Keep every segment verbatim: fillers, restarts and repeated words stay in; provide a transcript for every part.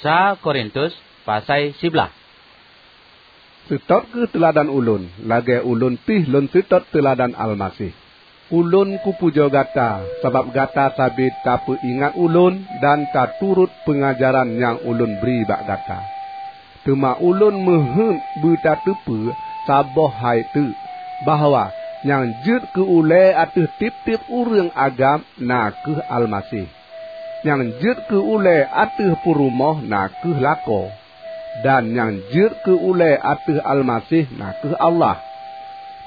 Sa Korintus pasai siblaih. Seutôt kheueh teuladan ulôn, lagée ulôn pih lôn seutôt teuladan Almaseh. Ulôn kupujoe gata sabab gata sabe tapeuingat ulôn dan taturot peungajaran nyang ulôn bri bak gata. Teuma ulôn meuheuét beutateupeue saboh hai teuk, bahwa nyang jeuet keu ulée ateueh tieb-tieb ureuëng agam na kheueh Almaseh. Nyang jeuet keu ulée ateueh peurumoh na kheueh lakoe, dan nyang jeuet keu ulée ateueh Almaseh na kheueh Allah.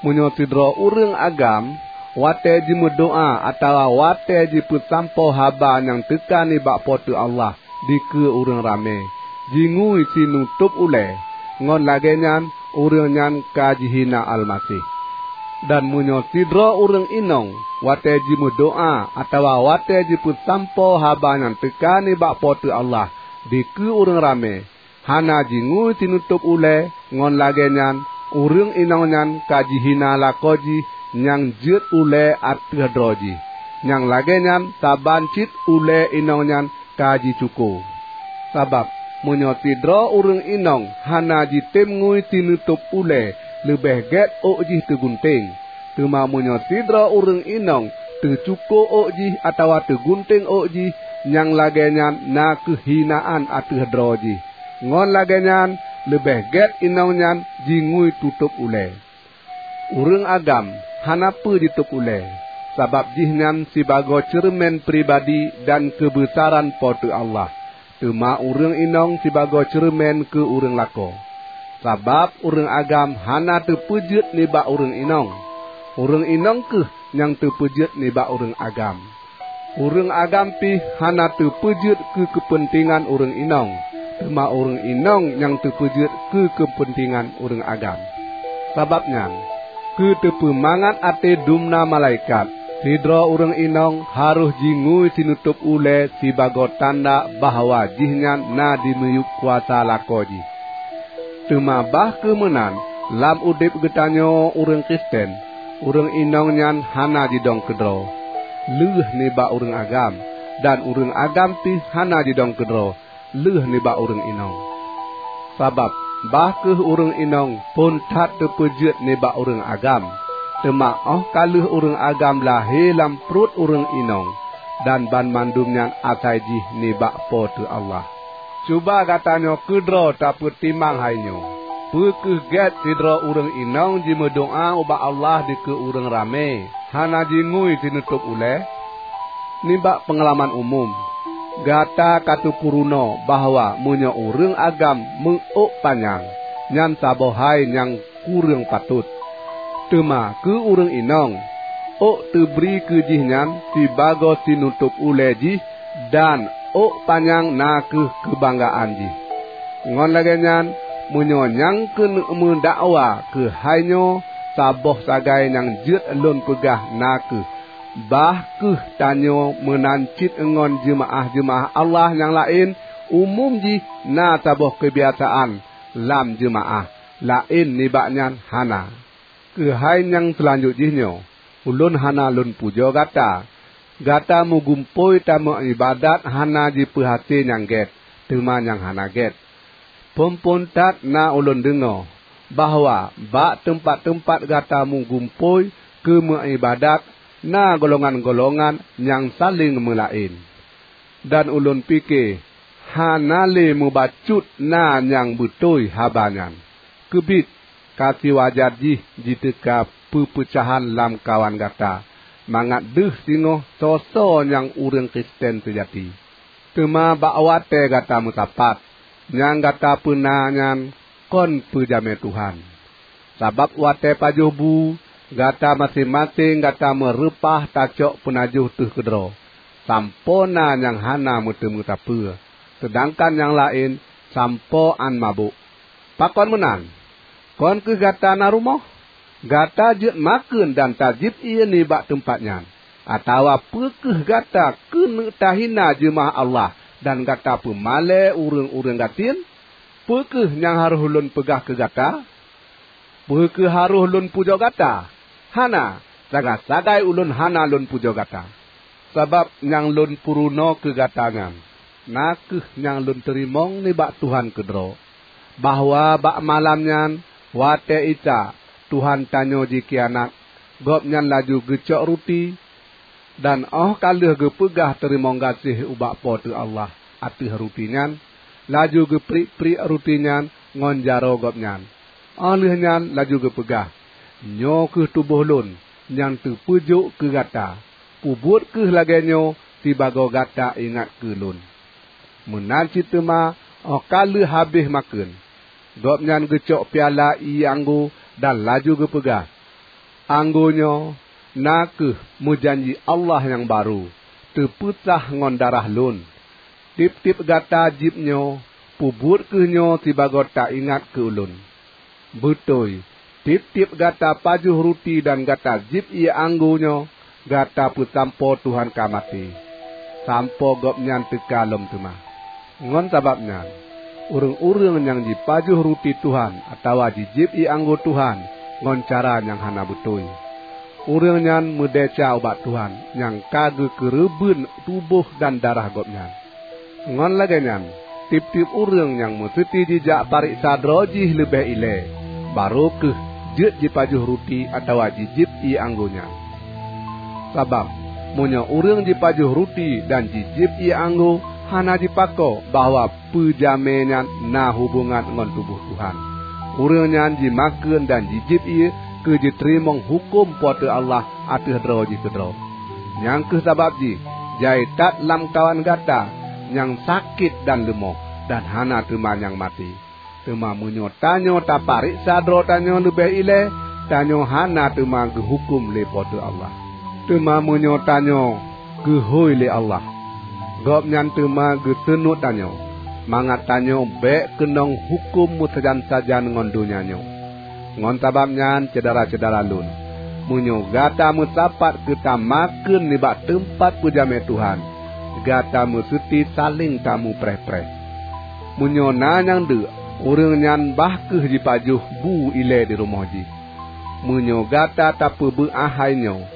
Meunyoe sidroe ureuëng agam, watée jimeudoá atawa watée jipeusampoe haba nyang teuka nibak Po teu Allah dikeue ureuëng ramé, jingui sinutôb ulée, ngon lagée nyan ureuëng nyan ka jihina Almaseh. Dan meunyoe sidroe ureuëng inong watée jimeudoá atawa watée jipeusampoe haba nyang teuka nibak Po teu Allah dikeue ureuëng ramé, hana jingui sinutôb ulée, ngon lagée nyan ureuëng inong nyan ka jihina lakoe jih nyang jeuet ulée ateueh droe jih. Nyang lagée nyan saban cit ulée inong nyan ka jicuko. Sabab meunyoe sidroe ureuëng inong hana jitem ngui sinutôb ulée, leubeh gét ôk jih teugunténg. Teuma meunyoe sidroe ureuëng inong teucuko ôk jih atawa teugunténg ôk jih, nyang lagée nyan na kheueh hinaan ateueh droe jih. Ngon lagée nyan leubeh gét inong nyan jingui tutôb ulée. Ureuëng agam hana peue jitôb ulée, sabab jihnyan sibagoe ceureumen pribadi dan keubeusaran Po teu Allah, teuma ureuëng inong sibagoe ceureumen keu ureuëng lakoe. Sabab ureuëng agam hana teupeujeuet nibak ureuëng inong, ureuëng inong kheueh nyang teupeujeuet nibak ureuëng agam. Ureuëng agam pih hana teupeujeuet keu keupeuntengan ureuëng inong, teuma ureuëng inong nyang teupeujeuet keu keupeuntengan ureuëng agam. Sabab nyan, keu teupeumangat até dumna malaikat, sidroe ureuëng inong harôh jingui sinutôb ulée sibagoe tanda bahwa jihnyan na di miyueb kuasa lakoe jih. Teuma bah kheueh meunan, lam udeb geutanyoe ureuëng Kristen, ureuëng inong nyan hana jidong keudroe lheueh nibak ureuëng agam, dan ureuëng agam pih hana jidong keudroe lheueh nibak ureuëng inong. Sabab bah kheueh ureuëng inong phon that teupeujeuet nibak ureuëng agam, teuma óh ka lheueh ureuëng agam lahé lam pruet ureuëng inong, dan banmandum nyan asai jih nibak Po teu Allah. Cuba gata nyoe keudroe tapeutimang hai nyoe: Peu kheueh gét sidroe ureuëng inong jimeudoá ubak Allah dikeue ureuëng ramé, hana jingui sinutôb ulée? Nibak peungalaman umum, gata ka tapeurunoe bahwa meunyoe ureuëng agam meu-ôk panyang, nyan saboh hai nyang kureueng patot. Teuma keu ureuëng inong, ôk teubri keu jihnyan sibagoe sinutôb ulée jih, dan ôk panyang na kheueh keubanggaan jih. Ngon lagée nyan, meunyoe nyang keuneuk meudakwa keuhai nyoe, saboh sagai nyang jeuet lôn peugah na kheueh, bah kheueh tanyoe meunan cit ngon jeumaáh-jeumaáh Allah nyang laén, umum jih na saboh keubiasaan lam jeumaáh, laén nibak nyan hana. Keuhai nyang seulanjut jih nyoe, ulôn hana lôn pujoe gata. Gata meugumpôi tameuiébadat hana jipeuhase nyang gét, teuma nyang hana gét. Phon-phon that na ulôn deungoe bahwa bak teumpat-teumpat gata meugumpôi keu meuiébadat na golongan-golongan nyang saléng meulaén. Dan ulôn pike hana lé mubacut na nyang beutôi haba nyan. Keubiet ka siwajar jih jiteuka peupeucahan lamkawan gata, mangat deuh singoh soe-soe nyang ureuëng Kristen seujati. Teuma bak watée gata meusapat, nyang gata peuna nyan kon peujamé Tuhan. Sabab watée pajoh bu, gata maséng-maséng gata meureupah tacok peunajoh teuh keudroe, sampoe na nyang hana meuteumé sapeue, seudangkan nyang laén sampoe án mabök. Pakon meunan? Kon kheueh gata na rumoh? Gata jeuet makheun dan tajieb ié nibak teumpat nyan. Atawa peu kheueh gata keuneuk tahina jeumaáh Allah dan gata peumalée ureuëng-ureuëng gasien? Peu kheueh nyang harôh lôn peugah keu gata? Peu kheueh harôh lôn pujoe gata? Hana, sagai-sagai ulôn hana lôn pujoe gata, sabab nyang lôn peurunoe keu gata nyan. na kheueh nyang lôn teurimong nibak Tuhan keudroe, bahwa bak malam nyan, watée Isa, Tuhan tanyoe jikhianat, Gobnyan laju geucok ruti, dan óh ka lheueh geupeugah teurimong gaséh ubak Po teu Allah ateueh ruti nyan, laju geupriek-priek ruti nyan ngon jaroe Gobnyan. Óh lheueh nyan laju geupeugah, "Nyoe kheueh tuboh Lôn nyang teupeujok keu gata. Peubuet kheueh lagée nyoe sibagoe gata ingat keu Lôn." Meunan cit teuma óh ka lheueh habéh makheun, Gobnyan geucok piala ié anggô dan laju geupeugah, "Anggô nyoe na kheueh meujanji Allah nyang barô, teupeusah ngon darah Lôn. Tieb-tieb gata jieb nyoe, peubuet kheueh nyoe sibagoe taingat keu Ulôn." Beutôi, tieb-tieb gata pajoh ruti dan gata jieb ié anggô nyoe, gata peusampoe Tuhan ka maté, sampoe Gobnyan teuka lom teuma. Ngon sabab nyan, ureuëng-ureuëng nyang jipajoh ruti Tuhan atawa jijieb ié anggô Tuhan ngon cara nyang hana beutôi, ureuëng nyan meudesya ubak Tuhan nyang ka geukeureubeuen tuboh dan darah Gobnyan. Ngon lagée nyan, tieb-tieb ureuëng nyang meuseuti jijak pareksa droe jih leubeh ilée, barô kheueh jeuet jipajoh ruti atawa jijieb ié anggô nyan. Sabab, meunyoe ureuëng jipajoh ruti dan jijieb ié anggô hana jipako bahwa peujamé nyan na hubongan ngon tuboh Tuhan, ureuëng nyan jimakheun dan jijieb ié keu jiteurimong huköm Po teu Allah ateueh droe jih keudroe. Nyang kheueh sabab jih jai that lamkawan gata nyang sakét dan leumoh, dan hana teuma nyang maté. Teuma meunyoe tanyoe tapareksa droe tanyoe leubeh ilée, tanyoe hana teuma geuhuköm lé Po teu Allah. Teuma meunyoe tanyoe geuhôi lé Allah, Gobnyan teuma geuseunuet tanyoe, mangat tanyoe bék keunong huköm meusajan-sajan ngon donya nyoe. Ngon sabab nyan, syedara-syedara lôn, meunyoe gata meusapat keu tamakheun nibak teumpat peujamé Tuhan, gata meuseuti saléng tamupreh-preh. Meunyoe na nyang deuk, ureuëng nyan bah kheueh jipajoh bu ilée di rumoh jih. Meunyoe gata tapeubeuet hai nyoe,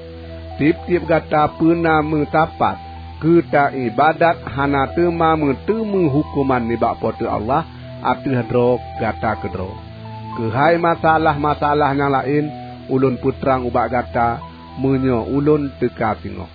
tieb-tieb gata peuna meusapat keu taibadat hana teuma meuteumé huköman nibak Po teu Allah ateueh droe gata keudroe. Keuhai masalah-masalah nyang laén, ulôn peutrang ubak gata meunyoe ulôn teuka singoh.